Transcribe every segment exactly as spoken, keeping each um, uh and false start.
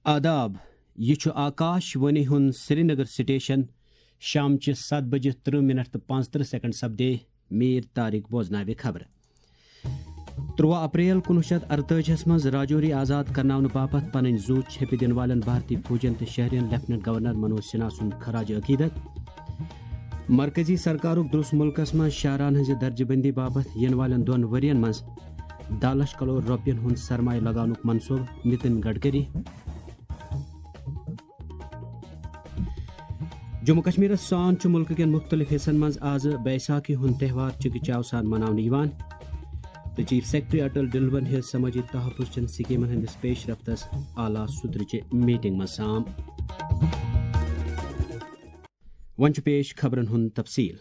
آداب، یہِ چھُ آکاش وانی ہُنٛد سرینگر سٹیشن۔ شامچہِ ستھ بجہِ ترٕہ منٹ تہٕ پانٛژترٕہ سیکنڈ سپدے۔ میر طارق بوزناوِ خبرٕ۔ تُرٛواہ اپریل کُنوُہ شیٚتھ ارتٲجی ہَس منٛز راجوری آزاد کرناونہٕ باپتھ پنٕنۍ زُو چھیٚپہِ دِنہٕ والٮ۪ن بھارتی فوجین تہٕ شہرین لیفٹیننٹ گورنر منوج سنہا سُنٛد خراج عقیدت۔ مرکزی سرکارُک دروٚس مُلکس منٛز شاہراہن ہٕنٛزِ درجہٕ بندی باپتھ یِنہٕ والٮ۪ن دۄن ؤرین منٛز دَہ لچھ کرور رۄپین ہُنٛد سرمایہ لگاونُک منصوبہٕ، نتن گڈکری۔ جموں کشمیرس سان چھُ مُلکہٕ کٮ۪ن مُختٔلِف حصن منٛز آز بیساکھی ہُنٛد تہوار چِکہٕ چاو سان مناونہٕ یِوان۔ تہٕ چیف سیکرٹری اٹل ڈلون ہیٚژ سمٲجی تحفظ چٮ۪ن سکیمن ہٕنٛدِس پیش رفتس اعلیٰ سطرٕچہِ میٹنگ منٛز سام۔ وۄنۍ چھُ پیش خبرن ہُنٛد تفصیل۔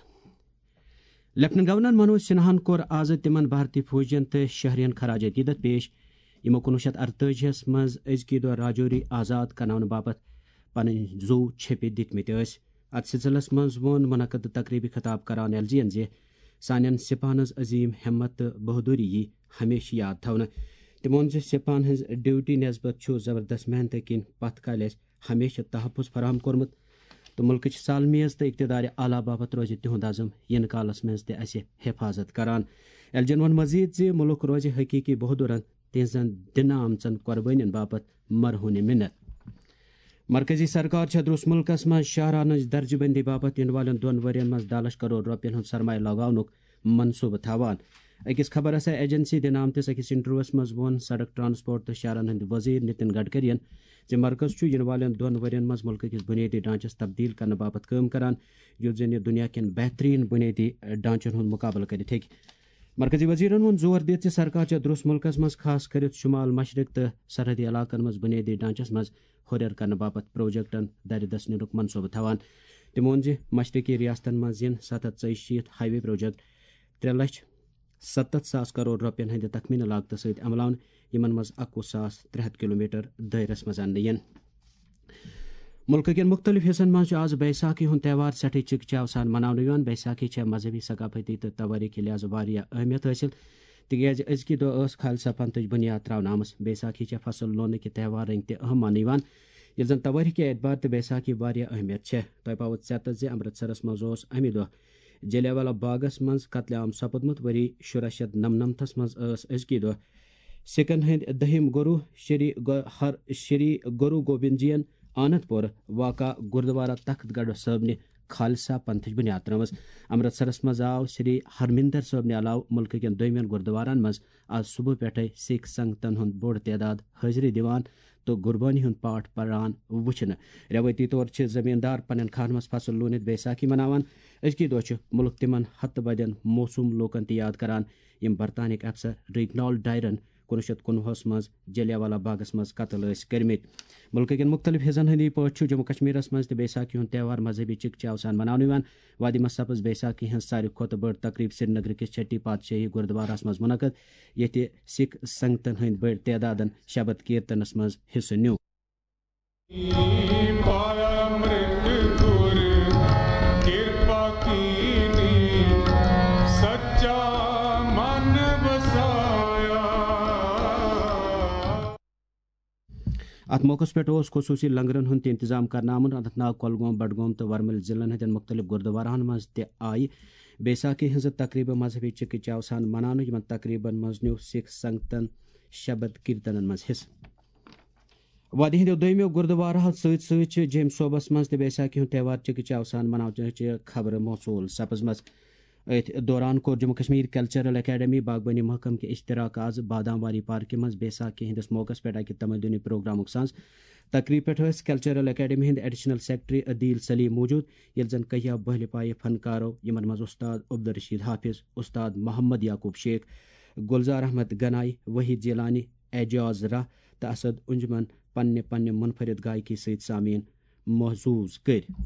لیفٹیننٹ گورنر منوج سنہاہن کوٚر آز تِمن بھارتی فوجین تہٕ شہرین خراج عقیدت پیش، یِمو کُنوُہ شیٚتھ ارتٲجی ہَس منٛز أزکی دۄہ راجوری آزاد کرناونہٕ باپتھ پنٕنۍ زُو چھیٚپہِ دِتمٕتۍ ٲسۍ۔ اتھ سلسلس منٛز ووٚن منعقد تقریبی خطاب کران ایل جی ین زِ سانٮ۪ن سپاہن ہٕنٛز عظیم ہمت تہٕ بہادری یی ہمیشہٕ یاد تھاونہٕ۔ تٔمۍ ووٚن زِ سپاہن ہٕنٛز ڈیوٹی نسبت چھُ زبردست محنتہٕ کِنۍ پتھ کالہِ اَسہِ ہمیشہٕ تحفظ فراہم کوٚرمُت تہٕ مُلکٕچ سالمیت تہٕ اقتدار اعلیٰ باپتھ روزِ تِہُنٛد عزم یِنہٕ کالس منٛز تہِ اَسہِ حفاظت کران۔ ایل جی ین ووٚن مزید زِ مُلک روزِ حقیقی بہادرن تہنٛزن دِنہٕ آمژن قربٲنین باپتھ مرہون منت۔ مرکزی سرکار چھےٚ دروٚس مُلکس منٛز شاہراہن ہٕنٛز درجہٕ بندی باپتھ یِنہٕ والٮ۪ن دۄن ؤرین منٛز دَہ لچھ کرور رۄپین ہُنٛد سرمایہ لگاونُک منصوبہٕ تھاوان۔ أکِس خبر رساں ایجنسی دِنہٕ آمتِس أکِس انٹرویوس منٛز ووٚن سڑک ٹرانسپورٹ تہٕ شاہراہن ہٕنٛدۍ وزیر نتن گڈکرین زِ مرکز چھُ یِنہٕ والٮ۪ن دۄن ؤرین منٛز مُلکہٕ کِس بُنیٲدی ڈھانچس تبدیل کرنہٕ باپتھ کٲم کران، یُتھ زن یہِ دُنیا کٮ۪ن بہترین بُنیٲدی ڈھانچن ہُنٛد مُقابلہٕ کٔرِتھ ہیٚکہِ۔ مرکزی وزیرن ووٚن زور دِتھ زِ سرکار چھےٚ دروٚس مُلکس منٛز، خاص کٔرِتھ شمال مشرق تہٕ سرحدی علاقن منٛز بُنیٲدی ڈھانچس منٛز ہُرٮ۪ر کرنہٕ باپتھ پروجیکٹن دَرِ دَس نِنُک منصوبہٕ تھاوان۔ تٔمۍ ووٚن زِ مشرقی ریاستن منٛز یِن ستھ ہتھ ژۄیہِ شیٖتھ ہائی وے پروجیکٹ ترٛےٚ لچھ ستتھ ساس کرور رۄپین ہٕنٛدِ تخمینہٕ لاگتہٕ سۭتۍ عملاونہٕ، یِمن منٛز اکوُہ ساس ترٛےٚ ہتھ کلومیٹر دٲیرس منٛز اننہٕ یِن۔ مُلکہٕ کٮ۪ن مُختٔلِف حصن منٛز چھُ آز بیساکھی ہُنٛد تہوار سٮ۪ٹھٕے چِکہٕ چاو سان مناونہٕ یِوان۔ بیساکھی چھےٚ مذہبی، ثقافتی تہٕ توٲریٖخی لحاظہٕ واریاہ اہمیت حٲصِل، تِکیازِ أزکہِ دۄہ ٲس خالصہ پنتٕچ بُنیاد تراونہٕ آمٕژ۔ بیساکھی چھےٚ فصل لوننہٕ کہِ تہوار رٔنگۍ تہِ اہم ماننہٕ یِوان، ییٚلہِ زن توٲریٖخ کہِ اعتبار تہِ بیساکھی واریاہ اہمیت چھےٚ۔ تۄہہِ پاوو ژٮ۪تس زِ امرتسرس منٛز اوس امہِ دۄہ جلیانوالہ باغس منٛز قتل عام سپُدمُت۔ ؤری شُراہ شیٚتھ نمنمتس منٛز ٲس أزکہِ دۄہ سکن ہٕنٛدۍ دٔہِم گرو شری گ-، ہر-، شری گرو گوبند جین آنند پور واقع گردوارہ تخت گڑھ صٲبنہِ خالصہ پنتھٕچ بُنیاد ترٲومٕژ۔ امرتسرس منٛز آو شری ہرمندر صٲبنہِ علاوٕ مُلکہٕ کٮ۪ن دوٚیمٮ۪ن گردوارن منٛز آز صبح پٮ۪ٹھے سکھ سنگتن ہُنٛد بوٚڑ تعداد حٲضری دِوان تہٕ قربٲنی ہُنٛد پاٹھ پران وُچھنہٕ۔ رٮ۪وٲیتی طور چھِ زٔمیٖندار پننٮ۪ن کھاہن منٛز فصل لوٗنِتھ بیساکھی مناوان۔ أزکہِ دۄہ چھِ مُلک تِمن ہتہٕ بدٮ۪ن موسوٗم لوٗکن تہِ یاد کران، یِم برطانیہٕکۍ افسر ریگنالڈ ڈائرن کُنوُہ شیٚتھ کُنوُہس منٛز جلیانوالہ باغس منٛز قتل ٲسۍ کٔرمٕتۍ۔ مُلکہٕ کٮ۪ن مُختٔلِف حصن ہٕنٛدی پٲٹھۍ چھُ جموں کشمیرس منٛز تہِ بیساکھی ہُنٛد تہوار مذہبی چِکہٕ چاو سان مناونہٕ یِوان۔ وادی منٛز سپٕز بیساکھی ہٕنٛز ساروی کھۄتہٕ بٔڑ تقریب سرینگرٕ کِس چھٹی پادشاہی گردوارس منٛز منعقد، ییٚتہِ سکھ سنگتن ہٕنٛدۍ بٔڑۍ تعدادن شبد کیرتنس منٛز حصہٕ نیوٗ۔ اتھ موقعس پٮ۪ٹھ اوس خصوٗصی لنگرن ہُنٛد تہِ انتظام کرنہٕ آمُت۔ اننت ناگ، کۄلگوم، بڈگوم تہٕ ورمُلۍ ضلعن ہٕنٛدٮ۪ن مُختٔلِف گردوارہن منٛز تہِ آیہِ بیساکھی ہٕنٛزٕ تقریبہٕ مذہبی چِکہٕ چاو سان مناونہٕ۔ یِمن تقریبن منٛز نیوٗ سکھ سنگتن شبد کیرتنن منٛز حصہٕ۔ وادی ہٕنٛدیو دوٚیمیو گردوارہو سۭتۍ سۭتۍ چھِ جیٚمۍ صوبس منٛز تہِ بیساکھی ہُنٛد تہوار چِکہٕ چاو سان مناونٕچہِ خبرٕ موصوٗل سپٕزمٕژ۔ أتھۍ دوران کوٚر جموں کشمیر کلچرل اکیڈمی باغبانی محکمہٕ کہِ اشتراک آز بادام واری پارکہِ منٛز بیساکھی ہٕنٛدِس موقعس پٮ۪ٹھ اکہِ تمدنی پروگرامُک ساز۔ تقریب پٮ۪ٹھ ٲسۍ کلچرل اکیڈمی ہٕنٛدۍ ایڈیشنل سیکرٹری عدیل سلیم موجود، ییٚلہِ زن کہیا بہلہِ پایہِ فنکارو، یِمن منٛز استاد عبدالرشید حافظ، استاد محمد یعقوب شیخ، گلزار احمد گنائی، وحید جیلانی، اعجاز راہ تہٕ اسد انجمن پننہِ پننہِ منفرد گائیکی سۭتۍ سامعین محظوظ کٔرۍ۔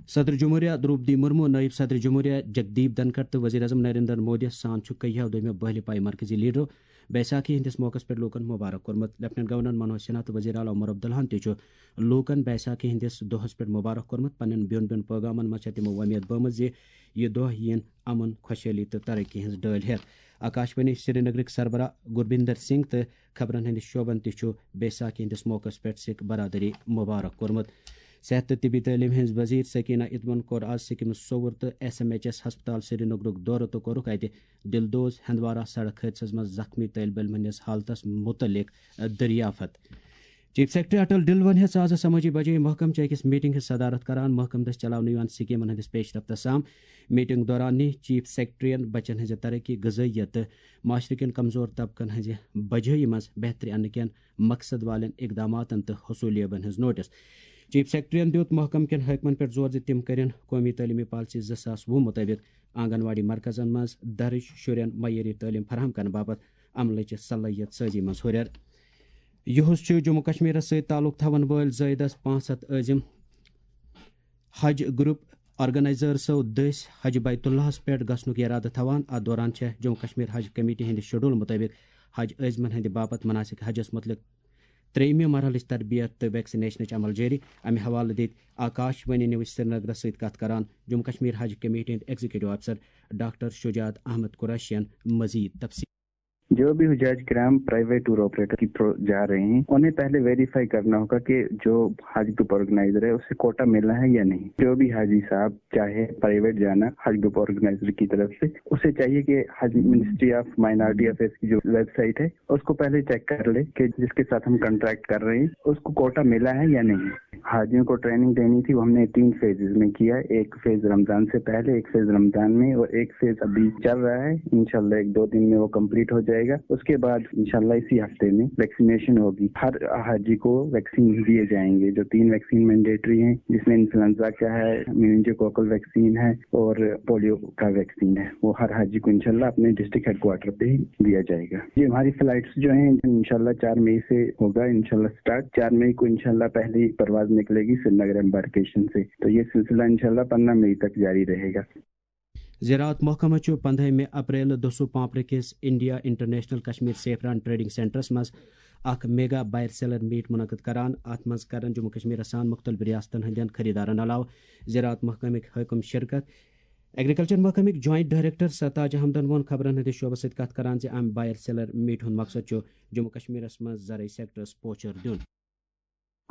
صدر جمہوریہ درٛوپدی مرمو، نٲیِب صدر جمہوریہ جگدیپ دھنکھڑ تہٕ وزیر اعظم نریندر مودی سان چھُ کہیاو دوٚیمہِ بہلہِ پایہِ مرکزی لیڈرو بیساکھی ہٕنٛدِس موقعس پٮ۪ٹھ لوٗکن مُبارک کوٚرمُت۔ لیفٹیننٹ گورنر منوج سنہا تہٕ وزیر اعلیٰ عمر عبداللہن تہِ چھُ لوٗکن بیساکھی ہٕنٛدِس دۄہس پٮ۪ٹھ مُبارک کوٚرمُت۔ پننٮ۪ن بیوٚن بیوٚن پٲغامن منٛز چھےٚ تِمو وۄمید بٲومٕژ زِ یہِ دۄہ یِن امن، خۄشحٲلی تہٕ ترقی ہٕنٛز ڈٲلۍ ہٮ۪تھ۔ آکاشوانی سرینگرٕکۍ سربراہ گربیندر سنگھ تہٕ خبرن ہٕنٛدِس شعبن تہِ چھُ بیساکھی ہٕنٛدِس موقعس پٮ۪ٹھ سِکھ برادری مُبارک کوٚرمُت۔ صحت تہٕ طبی تعلیٖم ہٕنٛز وزیر سکینہ ادمن کوٚر آز سکمز سوٚوُر تہٕ ایس ایم ایچ ایس ہسپتال سرینگرُک دورٕ تہٕ کوٚرُکھ اتہِ دلدوز ہندوارہ سڑک حٲدثس منٛز زخمی طٲلب علمن ہٕنٛدِس حالتس مُتعلق دریافت۔ چیف سیکرٹری اٹل ڈلون ہیٚژ آز سمٲجی بجٲیی محکمہٕ چہِ أکِس میٹنگ ہٕنٛز صدارت کران۔ محکمہٕ دٔسۍ چلاونہٕ یِوان سکیمن ہٕنٛدِس پیش رفتس سام۔ میٹنگ دوران نی چیف سیکرٹرین بچن ہٕنٛزِ ترقی، غذٲیت تہٕ معاشرٕ کٮ۪ن کمزور طبقن ہٕنٛزِ بجٲیی منٛز بہتری اننہٕ کٮ۪ن مقصد والٮ۪ن اقداماتن تہٕ حصولیابن ہٕنٛز نوٹس۔ چیف سیکرٹرین دیُت محکمہٕ کٮ۪ن حٲکمن پٮ۪ٹھ زور زِ تِم کرن قومی تعلیمی پالیسی زٕ ساس وُہ مُطٲبِق آنگن واڑی مرکزن منٛز درج شُرٮ۪ن معیٲری تعلیٖم فراہم کرنہٕ باپتھ عملٕچ صلٲحیت سٲزی منٛز ہُرٮ۪ر۔ یُہُس چھُ جموں کشمیرس سۭتۍ تعلق تھاون وٲلۍ زٲیدس پانٛژھ ہتھ عٲزم حج گروپ آرگنائزرسو دٔسۍ حج بیت اللہس پٮ۪ٹھ گژھنُک ارادٕ تھاوان۔ اتھ دوران چھےٚ جموں کشمیر حج کمیٹی ہٕنٛدِ شیڈول مُطٲبِق حج عٲزمن ہٕنٛدِ باپتھ مناسک حجس مُتعلق ترٛیٚیِمہِ مرحلٕچ تربیت تہٕ ویکسینیشنٕچ عمل جٲری۔ امہِ حوالہٕ دِتۍ آکاش وانی نیوز سرینگرس سۭتۍ کتھ کران جموں کشمیر حج کمیٹی ہٕنٛدۍ ایگزیکٹو افسر ڈاکٹر شجاعت احمد قریشین مزید تفصیل۔ جو بھی حجاج کرام پرائیویٹ ٹور آپریٹر کی تھرو جا رہے ہیں، انہیں پہلے ویریفائی کرنا ہوگا کہ جو حج گروپ آرگنائزر ہے، اسے کوٹا ملا ہے یا نہیں۔ جو بھی حاجی صاحب چاہے پرائیویٹ جانا حج گروپ آرگنائزر کی طرف سے، اسے چاہیے کہ حج منسٹری آف مائنارٹی افیئرز کی جو ویب سائٹ ہے، اس کو پہلے چیک کر لے کہ جس کے ساتھ ہم کانٹریکٹ کر رہے ہیں، اس کو کوٹا ملا ہے یا نہیں۔ حاجیوں کو ٹریننگ دینی تھی، وہ ہم نے تین فیزز میں کیا ہے۔ ایک فیز رمضان سے پہلے، ایک فیز رمضان میں، اور ایک فیز ابھی چل رہا ہے۔ انشاءاللہ ایک دو دن میں وہ کمپلیٹ ہو جائے گا۔ اس کے بعد انشاءاللہ اسی ہفتے میں ویکسینیشن ہوگی۔ ہر حاجی کو ویکسین دیے جائیں گے۔ جو تین ویکسین مینڈیٹری ہیں، جس میں انفلوئنزا کا ہے، میننجوکوکل ویکسین ہے اور پولیو کا ویکسین ہے، وہ ہر حاجی کو انشاءاللہ اپنے ڈسٹرکٹ ہیڈ کوارٹر پہ ہی دیا جائے گا۔ یہ ہماری فلائٹس جو ہیں، انشاءاللہ چار مئی سے ہوگا، انشاءاللہ اسٹارٹ۔ چار مئی کو انشاءاللہ پہلی پرواز نکلے گی سرینگر ایمبارکیشن سے۔ تو یہ سلسلہ انشاءاللہ پندرہ مئی تک جاری رہے گا۔ زراعت محکمہٕ چھُ پنٛدہمہِ اپریل دۄہ پامپرٕ کِس India international Kashmir saffron trading سینٹرس منٛز اکھ میگا بائر سیلر میٹ منعقد کران۔ اتھ منٛز کرن جموں کشمیرس سان مختلف ریاستن ہٕنٛدٮ۪ن خریدارن علاوٕ زراعت محکمٕکۍ حٲکم شرکت۔ ایگریکلچر محکمٕکۍ جوائنٹ ڈائریکٹر سرتاج احمدن ووٚن خبرن ہٕنٛدِس شعبس سۭتۍ کتھ کران زِ امہِ بائر سیلر میٹ ہُنٛد مقصد چھُ جموں کشمیرس منٛز زرعی سیکٹرس پوچھر دیُن۔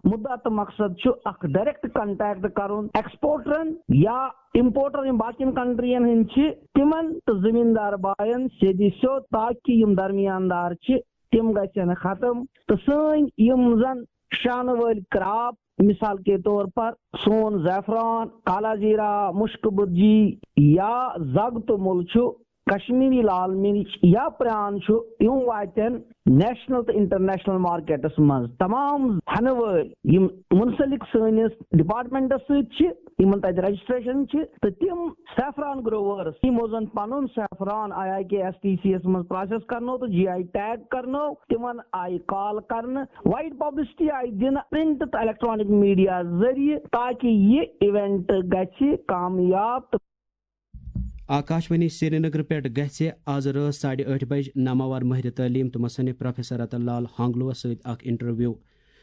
مُدعا تہٕ مقصد چھُ اکھ ڈائریکٹ کانٹیکٹ کرُن ایکسپورٹرن یا امپورٹر یِم باقین کنٹرین ہٕنٛدۍ چھِ، تِمن تہٕ زٔمیٖندار باین سیٚدِ سیوٚد، تاکہِ یِم درمیان دار چھِ تِم گژھن ختم تہٕ سٲنۍ یِم زن شانہٕ وٲلۍ کراپ، مثال کے طور پر سون زعفران، کالا زیرہ، مشک برجی یا زگ تہٕ مُل چھُ، کشمیری لال مرچ یا پران چھُ، یِم واتن نیشنل تہٕ انٹرنیشنل مارکیٹس منٛز۔ تمام ہنہٕ وٲلۍ یِم منسلک سٲنِس ڈپارٹمنٹس سۭتۍ چھِ، یِمن تتہِ رجسٹریشن چھِ، تہٕ تِم سیفران گروورس یِمو زن پنُن saffron I I K S T C یس منٛز پروسیس کرنو تہٕ جی آئی ٹیگ کرنو، تِمن آیہِ کال کرنہٕ، وائڈ پبلسٹی آیہِ دِنہٕ پرنٹ تہٕ الیکٹرانک میڈیا ذٔریعہٕ، تاکہِ یہِ ایونٹ گژھِ کامیاب تہٕ آکاشوانی سرینگر پٮ۪ٹھ گژھِ آز رٲژ ساڑِ ٲٹھِ بجہِ ناماوار مٲہرِ تعلیٖم تہٕ مصنف پروفیسر رتن لال ہانگلوَس سۭتۍ اکھ انٹرویو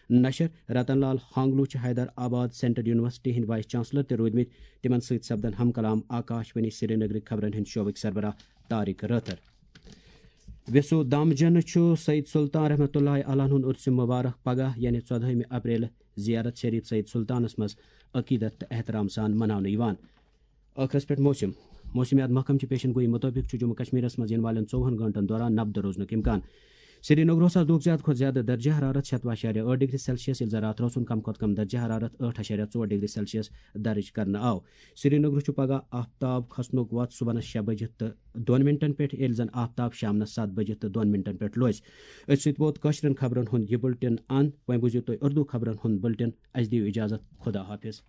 نشر۔ رتن لال ہانگلو چھِ حیدر آباد سینٹرل یونیورسٹی ہٕنٛدۍ وائس چانسلر تہِ روٗدمٕتۍ۔ تِمن سۭتۍ سپدن ہم کلام آکاشوانی سرینگرٕکۍ خبرن ہٕنٛدۍ شعبٕکۍ سربراہ طارق رٲتھر۔ ویسو دامجن چھُ سید سلطان رحمتہ اللہ علیہ ہُنٛد عرس مبارک پگاہ یعنی ژۄدہمہِ اپریل زیارت شریف سید سلطانس منٛز عقیدت تہٕ احترام سان مناونہٕ یِوان۔ ٲخرس پٮ۪ٹھ موسم۔ موسمیات محکمہٕ چہِ پیشن گویی مُطٲبِق چھُ جموں کشمیرس منٛز یِنہٕ والٮ۪ن ژووُہن گٲنٛٹن دوران نبہٕ دروزنُک امکان۔ سرینگرس لوٚگ زیادٕ کھۄتہٕ زیادٕ درجہ حرارت شیٚتوُہ اعشاریہ ٲٹھ ڈگری سیلسیس، ییٚلہِ زن راتھ روسُن کم کھۄتہٕ کم درجہ حرارت ٲٹھ اعشاریہ ژور ڈگری سیلسیس درج کرنہٕ آو۔ سرینگرس چھُ پگاہ آفتاب کھسنُک وقت صبحنس شےٚ بجہِ تہٕ دۄن منٹن پٮ۪ٹھ، ییٚلہِ زن آفتاب شامنس ستھ بجہِ تہٕ دۄن منٹن پٮ۪ٹھ لوسہِ۔ أتھۍ سۭتۍ ووت کٲشرٮ۪ن خبرن ہُنٛد یہِ بُلٹن اند۔ وۄنۍ بوٗزِو تُہۍ اردو خبرن ہُنٛد بُلٹن۔ اسہِ دِیِو اجازت، خدا حافظ۔